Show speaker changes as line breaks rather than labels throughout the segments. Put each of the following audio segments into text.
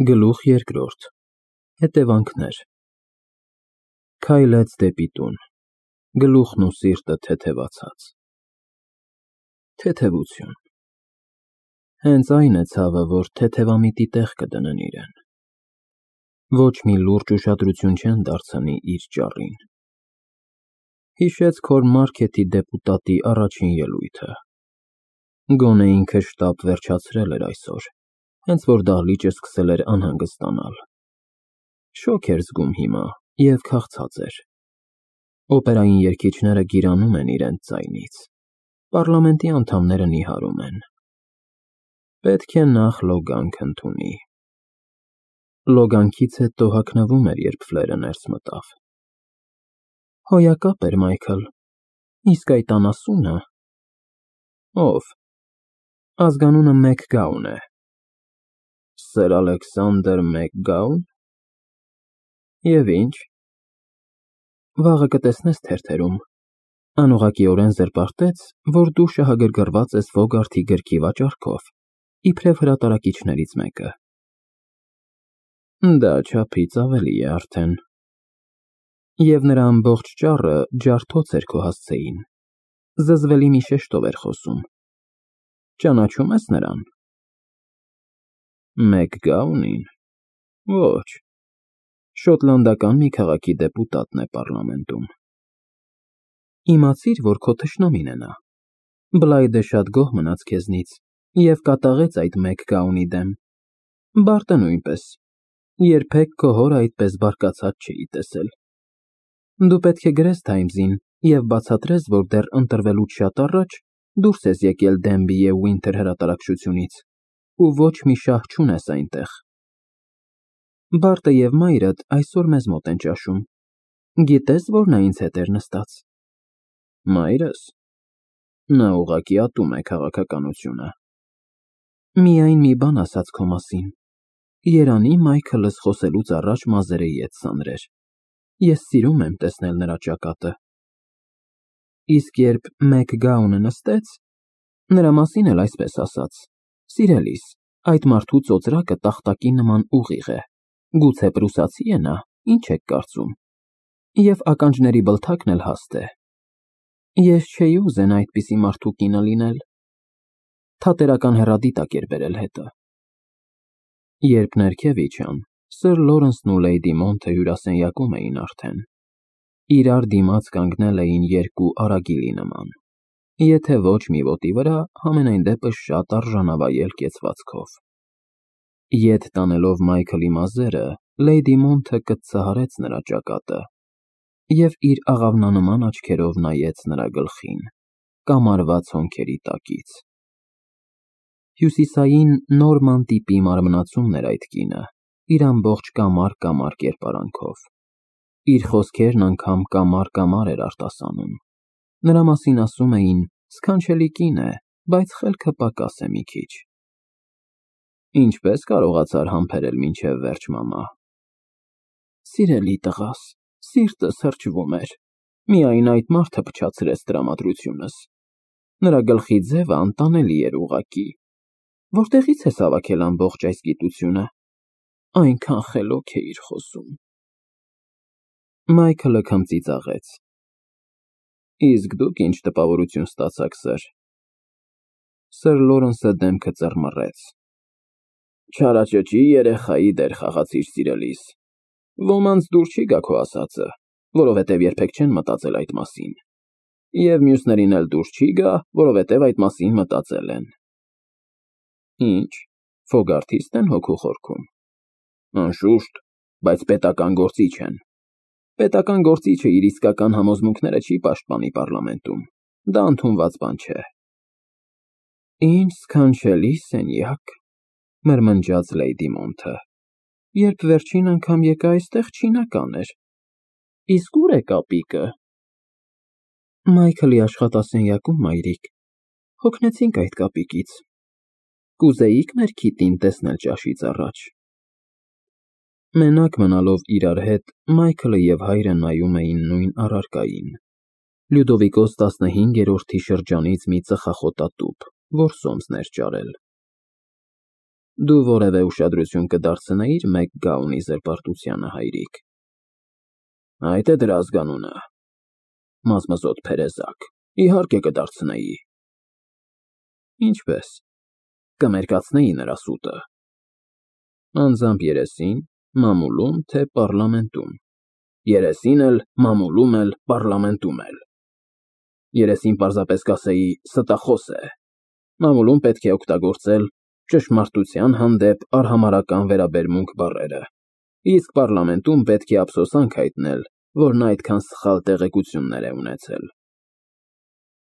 Գլուխ երկրորդ Հետևանքներ Քայլեց դեպի տուն, գլուխն ու սիրտը թեթևացած։ Թեթևություն Հենց այն է ցավը, որ թեթևամիտի տեղ կդնեն իրեն։ Ոչ մի լուրջ ուշադրություն չեն դարձնի իր ճառին։ Հիշեց Քոր մարքեթի դեպուտատի առաջին ելույթը։ Գոնե ինքը շտապ վերջացրել էր այսօր, հենց որ դահլիճը սկսել էր անհանգստանալ։ Շոգ էր զգում հիմա և քաղցած էր։ Օպերային երգիչները գիրանում են իրենց ձայնից, պառլամենտի անդամները նիհարում են։ Պետք է նախ լոգանք ընդունի։ Լոգանքից հետո հագնվում էր, երբ Ֆլերը ներս մտավ։ Հոյակապ էր Մայքլ, իսկ այդ անասունը… Ո՞վ։ Ազգանունը Մեքգաուն է։ Սեր Ալեքսանդր Մեքգաո՞ւն։ Եվ ինչ։ Վաղը կտեսնես թերթերում, անուղղակիորեն զրպարտեց, որ դու շահագրգռված ես Ֆոգարթի գրքի վաճառքով, իբրև հրատարակիչներից մեկը։ Դա չափից ավելի է արդեն։ Եվ նրա ամբողջ ճառը ջարդոց էր քո հասցեին, զզվելի մի շեշտով էր խոսում։ Ճանաչում ես նրան։ Մեքգաունին։ Ոչ, շոտլանդական մի քաղաքի դեպուտատն է պառլամենտում։ Իմացիր, որ քո թշնամին է նա։ Բլայդը շատ գոհ մնաց քեզնից և կատաղեց այդ Մեքգաունի դեմ։ Բարտը նույնպես, երբեք քո հորը այդպես բարկացած չէի տեսել։ Դու պետք է գրես Թայմզին և բացատրես, որ դեռ ընտրվելուց շատ առաջ դուրս ես եկել Դենբի և Ուինթեր հրատարակչությունից ու ոչ մի շահ չունես այնտեղ։ Բարտը և մայրդ այսօր մեզ մոտ են ճաշում։ Գիտես, որ նա ինձ հետ էր նստած։ Մայրս։ Նա ուղղակի ատում է քաղաքականությունը։ Միայն մի բան ասաց քո մասին։ Երանի Մայքլս խոսելուց առաջ մազերը ետ սանրեր։ Ես սիրում եմ տեսնել նրա ճակատը։ Իսկ երբ Մեքգաունը նստեց, նրա մասին էլ այսպես ասաց. Սիրելիս, այդ մարդու ծոծրակը տախտակի նման ուղիղ է, գուցե պրուսացի է նա, ինչ եք կարծում, և ականջների բլթակն էլ հաստ է։ Ես չէի ուզենա այդպիսի մարդու կինը լինել։ Թատերական հեռադիտակ էր բերել հետը։ Երբ ներքև իջան, Սր Լորենսն ու Լեյդի Մոնթը հյուրասենյակում էին արդեն։ Իրար դիմաց կանգնել էին երկու արագիլի նման, եթե ոչ մի ոտի վրա, համենայն դեպս շատ արժանավայել կեցվածքով։ Ետ տանելով Մայքլի մազերը, Լեյդի Մոնթը կծահարեց նրա ճակատը և իր աղավնանման աչքերով նայեց նրա գլխին, կամարված հոնքերի տակից։ Հյուսիսային նորման տիպի մարմնացումն էր այդ կինը, իր ամբողջ կամար կերպարանքով։ Իր խոսքերն անգամ կամար էր արտասանում։ Նրա մասին ասում էին. սքանչելի կին է, բայց խելքը պակաս է մի քիչ։ Ինչպես կարողացար համբերել մինչև վերջ, մամա։ Սիրելի տղաս, սիրտս հրճվում էր։ Միայն այդ մարդը փչացրեց տրամադրությունս։ Նրա գլխի ձևը անտանելի էր ուղղակի։ Որտեղից ես հավաքել ամբողջ այս գիտությունը։ Այնքան խելոք էիր խոսում։ Մայքլը քմծիծաղեց։ Իսկ դուք ինչ տպավորություն ստացաք, սըր։ Սր Լորենսը դեմքը ծռմռեց։ Չարաճճի երեխայի դեր խաղացիր, սիրելիս։ Ոմանց դուր չի գա քո ասածը, որովհետև երբեք չեն մտածել այդ մասին։ Եվ մյուսներին էլ դուր չի գա, որովհետև այդ մասին մտածել են։ Ինչ, Ֆոգարթիստ են հոգու խորքում։ Անշուշտ, բայց պետական գործիչ են։ Պետական գործիչը իր իսկական համոզմունքները չի պաշտպանի պառլամենտում։ Դա ընդունված բան չէ։ Ինչ սքանչելի սենյակ, մրմնջաց Լեյդի Մոնթը։ Երբ վերջին անգամ եկա այստեղ, չինական էր։ Իսկ ուր է կապիկը։ Մայքլի աշխատասենյակում, մայրիկ։ Հոգնեցինք այդ կապիկից։ Կուզեիք մեր քիտին տեսնել ճաշից առաջ։ Մենակ մնալով իրար հետ, Մայքլը և հայրը նայում էին նույն առարկային։ Լյուդովիկոս 15-րդի շրջանից մի ծխախոտատուփ, որ սոմսն էր ճարել։ Դու որևէ ուշադրություն կդարձնեիր մեկ գաունի զրպարտությանը, հայրիկ։ Այդ է դրա ազգանունը։ Մազմզոտ փերեզակ, իհարկե կդարձնեի։ Ինչպես։ Կմերկացնեի նրա սուտը։ Անձամբ երեսին, մամուլում, թե պառլամենտում։ Երեսին էլ, մամուլում էլ, պառլամենտում էլ։ Երեսին պարզապես կասեի ստախոս է։ Մամուլում պետք է օգտագործել ճշմարտության հանդեպ արհամարհական վերաբերմունք բառերը, իսկ պառլամենտում պետք է ափսոսանք հայտնել, որ նա այդքան սխալ տեղեկություններ է ունեցել։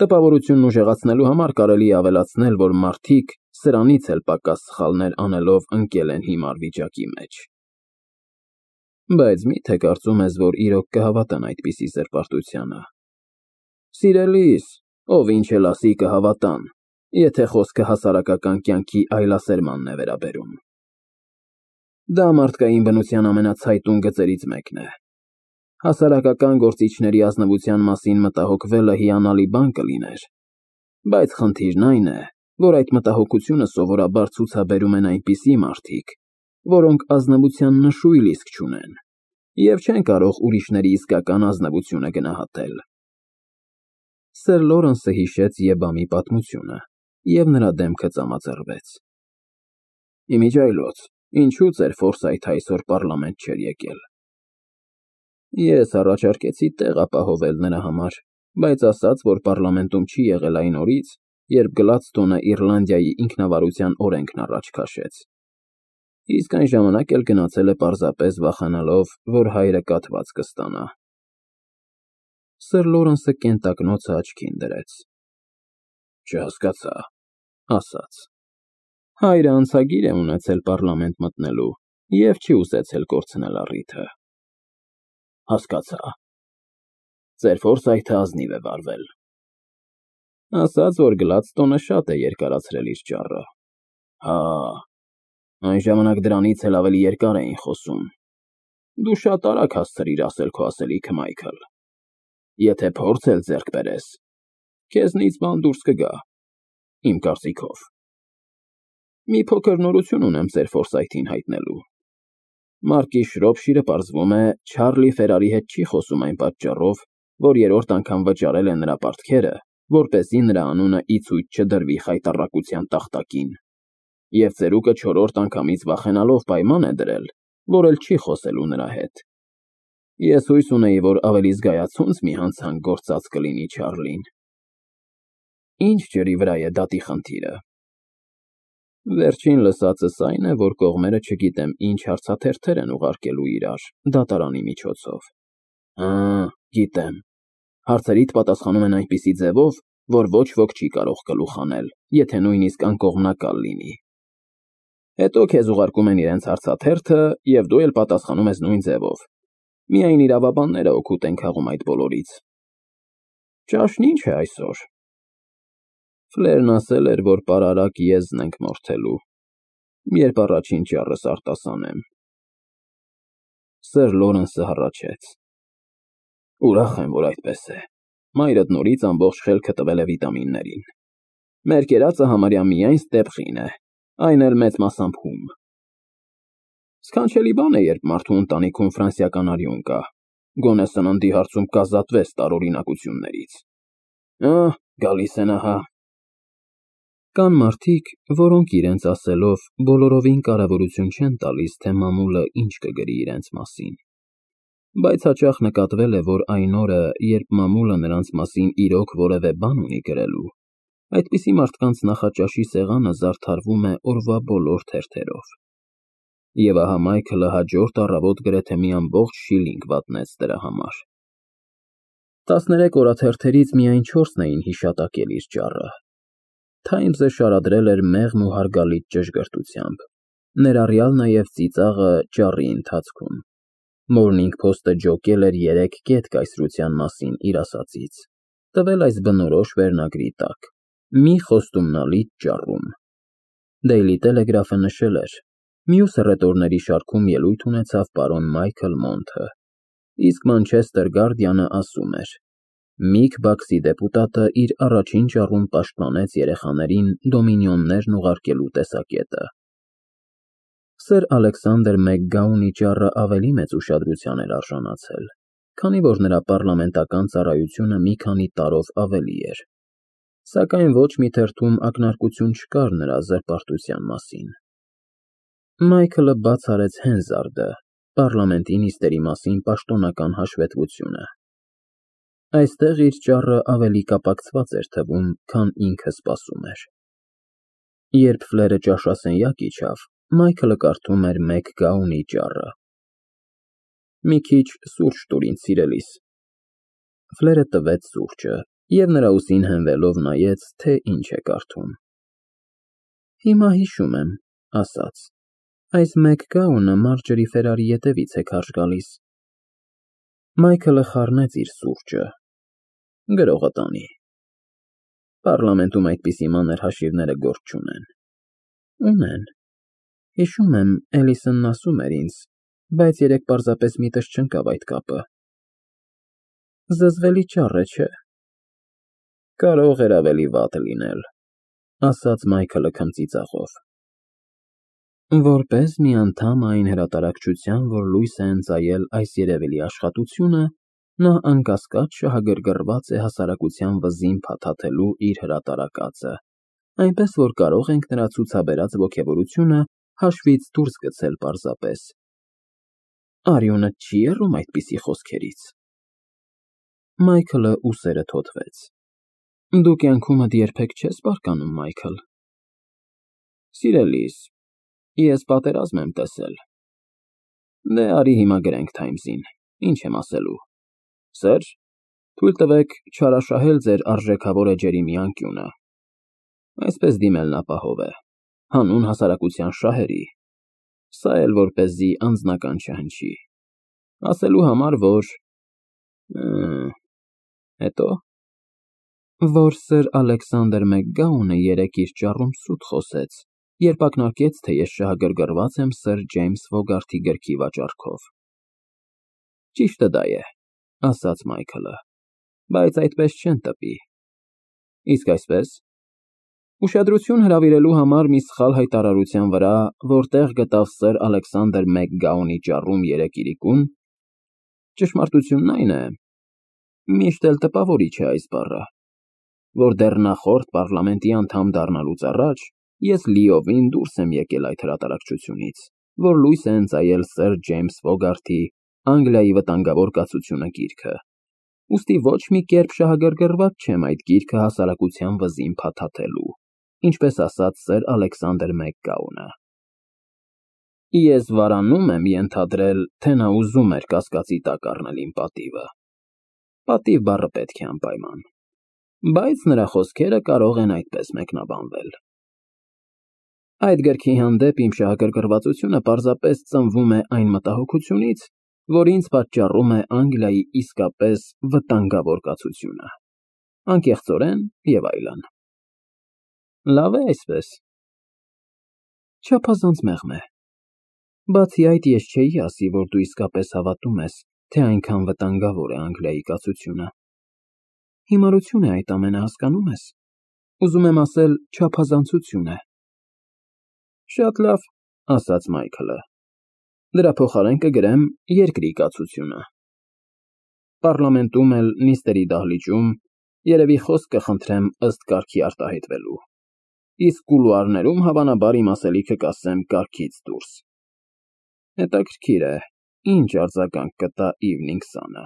Տպավորությունն ուժեղացնելու համար կարելի է ավելացնել, որ մարդիկ սրանից էլ պակաս սխալներ անելով ընկել են հիմար վիճակի մեջ։ Բայց մի՞թե կարծում ես, որ իրոք կհավատան այդպիսի զրպարտությանը։ Սիրելիս, ով ինչ էլ ասի կհավատան, եթե խոսքը հասարակական կյանքի այլասերմանն է վերաբերում։ Դա մարդկային բնության ամենացայտուն գծերից մեկն է։ Հասարակական գործիչների ազնվության մասին մտահոգվելը հիանալի բան կլիներ, բայց խնդիրն այն է, որ այդ մտահոգությունը սովորաբար ցուցաբերում են այնպիսի մարդիկ, որոնք ազնվության նշույլ իսկ չունեն, և չեն կարող ուրիշների իսկական ազնվությունը գնահատել։ Սեր Լորենսը հիշեց Եբամի պատմությունը, և նրա դեմքը ծամաձեռվեց։ Իմիջիայլոց, ինչու ծեր Ֆորսայթը այսօր պառլամենտ չէր եկել։ Ես առաջարկեցի տեղ ապահովել նրա համար, բայց ասաց, որ պառլամենտում չի եղել այն օրից, երբ Գլադստոնը Իռլանդիայի ինքնավարության օրենքն առաջ քաշեց։ Իսկ այն ժամանակ էլ գնացել է պարզապես վախենալով, որ հայրը կաթված կստանա։ Սեր Լորենսը կենտակնոցը աչքին դրեց։ Չհասկացա, ասաց։ Հայրը անցագիր է ունեցել պառլամենտ մտնելու և չի ուզեցել կորցնել առիթը։ Հասկացա։ Ծեր Ֆորսայթը ազնիվ է վարվել։ Ասաց, որ Գլադստոնը շատ է երկարացրել իր ճառը։ Հա, այն ժամանակ դրանից էլ ավելի երկար էին խոսում։ Դու շատ արագ հասցրիր ասել քո ասելիքը, Մայքլ։ Եթե փորձ էլ ձեռք բերես, քեզնից բան դուրս կգա, իմ կարծիքով։ Մի փոքր նորություն ունեմ ծեր Ֆորսայթին հայտնելու։ Մարկի Շրոփշիրը պարզվում է Չարլի Ֆերարի հետ չի խոսում այն պատճառով, որ երրորդ անգամ վճարել է նրա պարտքերը, որպեսզի նրա անունը ի ցույց չդրվի խայտառակության տախտակին, և ծերուկը չորրորդ անգամից վախենալով պայման է դրել, որ էլ չի խոսելու նրա հետ։ Ես հույս ունեի, որ ավելի զգայացած մի հանցանք գործած կլինի Չարլին։ Ինչ ջրի վրա է դատի խնդիրը։ Վերջին լսածս այն է, որ կողմերը չգիտեմ ինչ հարցաթերթեր են ուղարկելու իրար դատարանի միջոցով։ Հա, գիտեմ։ Հարցերիդ պատասխանում են այնպիսի ձևով, որ ոչ ոք չի կարող գլուխ անել, եթե նույնիսկ անկողմնակալ լինի։ Հետո քեզ ուղարկում են իրենց հարցաթերթը, և դու էլ պատասխանում ես նույն ձևով։ Միայն իրավաբանները օգուտ են քաղում այդ բոլորից։ Ճաշն ինչ է այսօր։ Ֆլերն ասել էր, որ պարարակ եզն ենք մորթելու, երբ առաջին ճառս արտասանեմ։ Սեր Լորենսը հառաչեց։ Ուրախ եմ, որ այդպես է։ Մայրդ նորից ամբողջ խելքը տվել է վիտամիններին։ Մեր կերածը համարյա միայն ստեպխին է, այն էլ մեծ մասամբ հում։ Սքանչելի բան է, երբ մարդու ընտանիքում ֆրանսիական արյուն կա, գոնե սննդի հարցում կազատվես տարօրինակություններից։ Գալիս են ահա։ Կան մարդիկ, որոնք իրենց ասելով բոլորովին կարևորություն չեն տալիս, թե մամուլը ինչ կգրի իրենց մասին։ Բայց հաճախ նկատվել է, որ այն օրը, երբ մամուլը նրանց մասին իրոք որևէ բան ունի գրելու, այդպիսի մարդկանց նախաճաշի սեղանը զարդարվում է օրվա բոլոր թերթերով։ Եվ ահա Մայքլը հաջորդ առավոտ գրեթե մի ամբողջ շիլինգ վատնեց դրա համար։ 13 օրաթերթերից միայն 4-ն էին հիշատակել իր ճառը։ Թայմզը շարադրել էր մեղմ ու հարգալից ճշգրտությամբ, ներառյալ նաև ծիծաղը ճառի ընթացքում։ Morning Post-ը ջոկել էր 3 կետ կայսրության մասին իր ասածից, տվել այս բնորոշ վերնագրի տակ. մի խոստումնալից ճառում։ Daily Telegraph-ը նշել էր. մյուս հռետորների շարքում ելույթ ունեցավ պարոն Մայքլ Մոնթը, իսկ Manchester Guardian-ը ասում էր. Միք Բաքսի դեպուտատը իր առաջին ճառում պաշտպանեց երեխաներին դոմինիոններն ուղարկելու տեսակետը։ Սեր Ալեքսանդր Մեքգաունի ճառը ավելի մեծ ուշադրության էր արժանացել, քանի որ նրա պառլամենտական ծառայությունը մի քանի տարով ավելի էր, սակայն ոչ մի թերթում ակնարկություն չկար նրա զրպարտության մասին։ Մայքլը բաց արեց Հենզարդը, պառլամենտի նիստերի մասին պաշտոնական հաշվետվությունը։ Այստեղ իր ճառը ավելի կապակցված էր թվում, քան ինքը սպասում էր։ Երբ Ֆլերը ճաշասենյակ իջավ, Մայքլը կարդում էր Մեքգաունի ճառը։ Մի քիչ սուրճ տուր ինձ, սիրելիս։ Ֆլերը տվեց սուրճը և նրա ուսին հենվելով նայեց, թե ինչ է կարդում։ Հիմա հիշում եմ, ասաց, այս Մեքգաունը Մարջերի Ֆերարի ետևից է քարշ գալիս։ Մայքլը խառնեց իր սուրճը։ Գրողը տանի։ Պառլամենտում այդպիսի մանր հաշիվները գործ չունեն։ Ունեն։ Հիշում եմ, Էլիսոնն ասում էր ինձ, բայց երեկ պարզապես միտս չընկավ այդ կապը։ Զզվելի ճառ է, չէ՞։ Կարող էր ավելի վատ լինել, ասաց Մայքլը քմծիծաղով։ Որպես մի անդամ այն հրատարակչության, որ լույս է ընծայել այս երևելի աշխատությունը, նա անկասկած շահագրգռված է հասարակության վզին փաթաթելու իր հրատարակածը, այնպես որ կարող ենք նրա ցուցաբերած ոգևորությունը հաշվից դուրս գցել պարզապես։ Արյունը չի եռում այդպիսի խոսքերից։ Մայքլը ուսերը թոթվեց։ Դու կյանքումդ երբեք չես բարկանում, Մայքլ։ Սիրելիս, ես պատերազմ եմ տեսել։ Դե արի հիմա գրենք Թայմզին, ինչ եմ ասելու։ Սեր, թույլ տվեք չարաշահել ձեր արժեքավոր էջերի մի անկյունը։ Այսպես դիմելն ապահով է, հանուն հասարակության շահերի, սա էլ որպեսզի անձնական չհնչի, ասելու համար, որ… հետո, որ Սեր Ալեքսանդր Մեքգաունը երեկ իր ճառում սուտ խոսեց, երբ ակնարկեց, թե ես շահագրգռված եմ Սեր Ջեյմս Ֆոգարթի գրքի վաճառքով։ Ճիշտը դա է, ասաց Մայքլը, բայց այդպես չեն տպի։ Իսկ այսպես… Ուշադրություն հրավիրելու համար մի սխալ հայտարարության վրա, որ տեղ գտավ Սեր Ալեքսանդր Մեքգաունի ճառում երեկ իրիկուն, ճշմարտությունն այն է, միշտ էլ տպավորիչ է այս բառը, որ դեռ նախորդ պառլամենտի անդամ դառնալուց առաջ ես լիովին դուրս եմ եկել այդ հրատարակչությունից, որ լույս է ընծայել Սեր Ջեյմս Ֆոգարթի Անգլիայի վտանգավոր կացությունը գիրքը, ուստի ոչ մի կերպ շահագրգռված չեմ այդ գիրքը հասարակության վզին փաթաթելու, ինչպես ասաց Սեր Ալեքսանդր Մեքգաունը։ Ես վարանում եմ ենթադրել, թե նա ուզում էր կասկածի տակ առնել իմ պատիվը։ Պատիվ բառը պետք է անպայման, բայց նրա խոսքերը կարող են այդպես մեկնաբանվել։ Այդ գրքի հանդեպ իմ շահագրգռվածությունը պարզապես ծնվում է այն մտահոգությունից, որ ինձ պատճառում է Անգլիայի իսկապես վտանգավոր կացությունը, անկեղծորեն և այլն։ Լավ է այսպես։ Չափազանց մեղմ է։ Բացի այդ, ես չէի ասի, որ դու իսկապես հավատում ես, թե այնքան վտանգավոր է Անգլիայի կացությունը։ Հիմարություն է այդ ամենը, հասկանում ես։ Ուզում եմ ասել, չափազանցություն է։ Շատ լավ, ասաց Մայքլը։ Դրա փոխարեն կգրեմ երկրի կացությունը։ Պառլամենտում էլ նիստերի դահլիճում երևի խոսք կխնդրեմ ըստ կարգի արտահայտվելու, իսկ կուլուարներում հավանաբար իմ ասելիքը կասեմ կարգից դուրս։ Հետաքրքիր է, ինչ արձագանք կտա Իվնինգ Սանը։